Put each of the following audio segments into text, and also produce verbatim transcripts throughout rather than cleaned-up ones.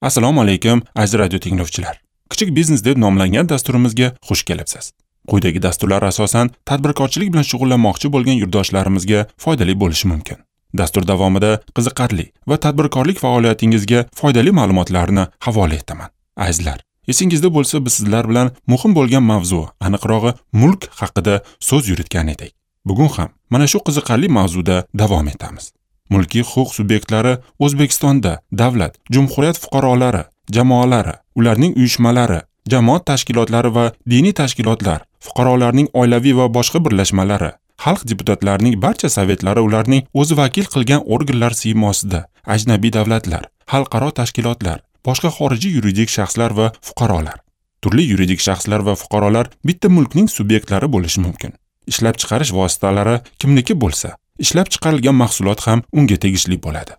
Assalomu alaykum, aziz radio tinglovchilar. Kichik biznes deb nomlangan dasturimizga xush kelibsiz. Quyidagi dasturlar asosan tadbirkorchilik bilan shug'ullanmoqchi bo'lgan yurtdoshlarimizga foydali bo'lishi mumkin. Dastur davomida qiziqarli va tadbirkorlik faoliyatingizga foydali ma'lumotlarni havola etaman. Azizlar, esingizda bo'lsa, biz sizlar bilan muhim bo'lgan mavzu, aniqrog'i mulk haqida so'z yuritgan edik. Bugun ham mana shu qiziqarli mavzuda davom etamiz. Mulkiy huquq subyektlari O'zbekistonda davlat, jumhuriyat fuqarolari, jamoalari, ularning uyushmalari, jamoat tashkilotlari va diniy tashkilotlar, fuqarolarning oilaviy va boshqa birlashmalari, xalq deputatlarining barcha sovetlari ularning o'zi vakil qilgan organlar siymosida, ajnabiy davlatlar, xalqaro tashkilotlar, boshqa xorijiy yuridik shaxslar va fuqarolar. Turli yuridik shaxslar va fuqarolar bitta mulkning subyektlari bo'lishi mumkin. Ishlab chiqarish vositalari kimniki bo'lsa, ishlab chiqarilgan mahsulot ham unga tegishli bo'ladi.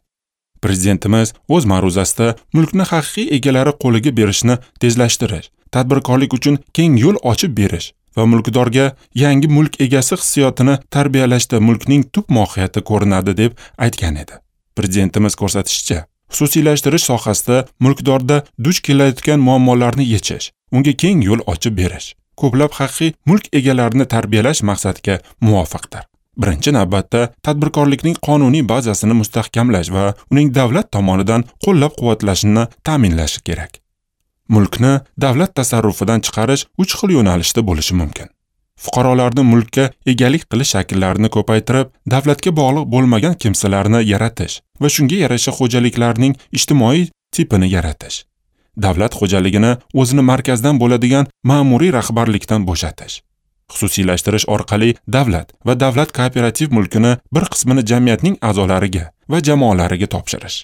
Prezidentimiz o'z ma'ruzasida mulkni haqiqiy egalari qo'liga berishni tezlashtirish, tadbirkorlik uchun keng yo'l ochib berish va mulkdorga yangi mulk egasi hissiyotini tarbiyalashda mulkning tub mohiyati ko'rinadi deb aytgan edi. Prezidentimiz ko'rsatishicha, xususiylashtirish sohasida mulkdorda duch kelayotgan muammolarni yechish, unga keng yo'l ochib berish, ko'plab haqiqiy mulk egalarini tarbiyalash maqsadga muvofiqdir. Birinchi navbatda tadbirkorlikning qonuniy bazasini mustahkamlash va uning davlat tomonidan qo'llab-quvvatlashini ta'minlash kerak. Mulkni davlat tasarrufidan chiqarish uch xil yo'nalishda bo'lishi mumkin. Fuqarolarni mulkka egalik qilish shaklarini ko'paytirib, davlatga bog'liq bo'lmagan kimsalarni yaratish va shunga yarasha xo'jaliklarning ijtimoiy tipini yaratish. Davlat xo'jaligini o'zini markazdan bo'ladigan ma'muriy rahbarlikdan bo'shatish. Xususiylashtirish orqali davlat va davlat kooperativ mulkini bir qismini jamiyatning a'zolariga va jamoalariga topshirish.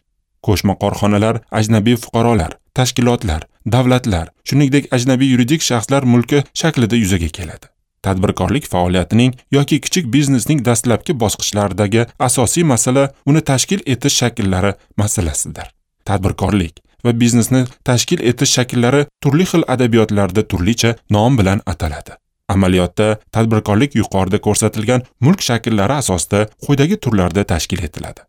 Qo'shma korxonalar ajnabiy fuqarolar, tashkilotlar, davlatlar, shuningdek ajnabiy yuridik shaxslar mulki shaklida yuzaga keladi. Tadbirkorlik faoliyatining yoki kichik biznesning dastlabki bosqichlaridagi asosiy masala uni tashkil etish shakllari masalasidir. Tadbirkorlik va biznesni tashkil etish shakllari turli xil adabiyotlarda turlicha nom bilan ataladi. Amaliyotda tadbirkorlik yuqorida ko'rsatilgan mulk shakllari asosida quyidagi turlarda tashkil etiladi.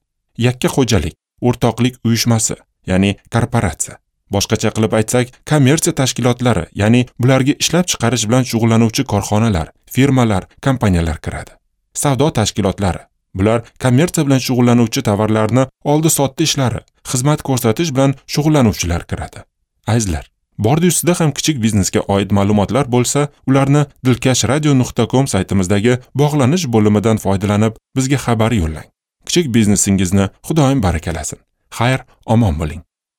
Yakka xo'jalik, o'rtoqlik uyushmasi, ya'ni korporatsiya. Boshqacha qilib aytsak, kommersiya tashkilotlari, ya'ni bularga ishlab chiqarish bilan shug'ullanuvchi korxonalar, firmalar, kompaniyalar kiradi. Savdo tashkilotlari. Bular kommersiya bilan shug'ullanuvchi tovarlarni oldi-sotdi ishlari, xizmat ko'rsatish bilan shug'ullanuvchilar kiradi. Azizlar, bordi ustida ham kichik biznesga oid ma'lumotlar bo'lsa, ularni dilkash radio nuqta com saytimizdagi bog'lanish bo'limidan foydalanib bizga xabar yo'llang. Kichik biznesingizni Xudoyim barakalasin. Xayr, omon bo'ling.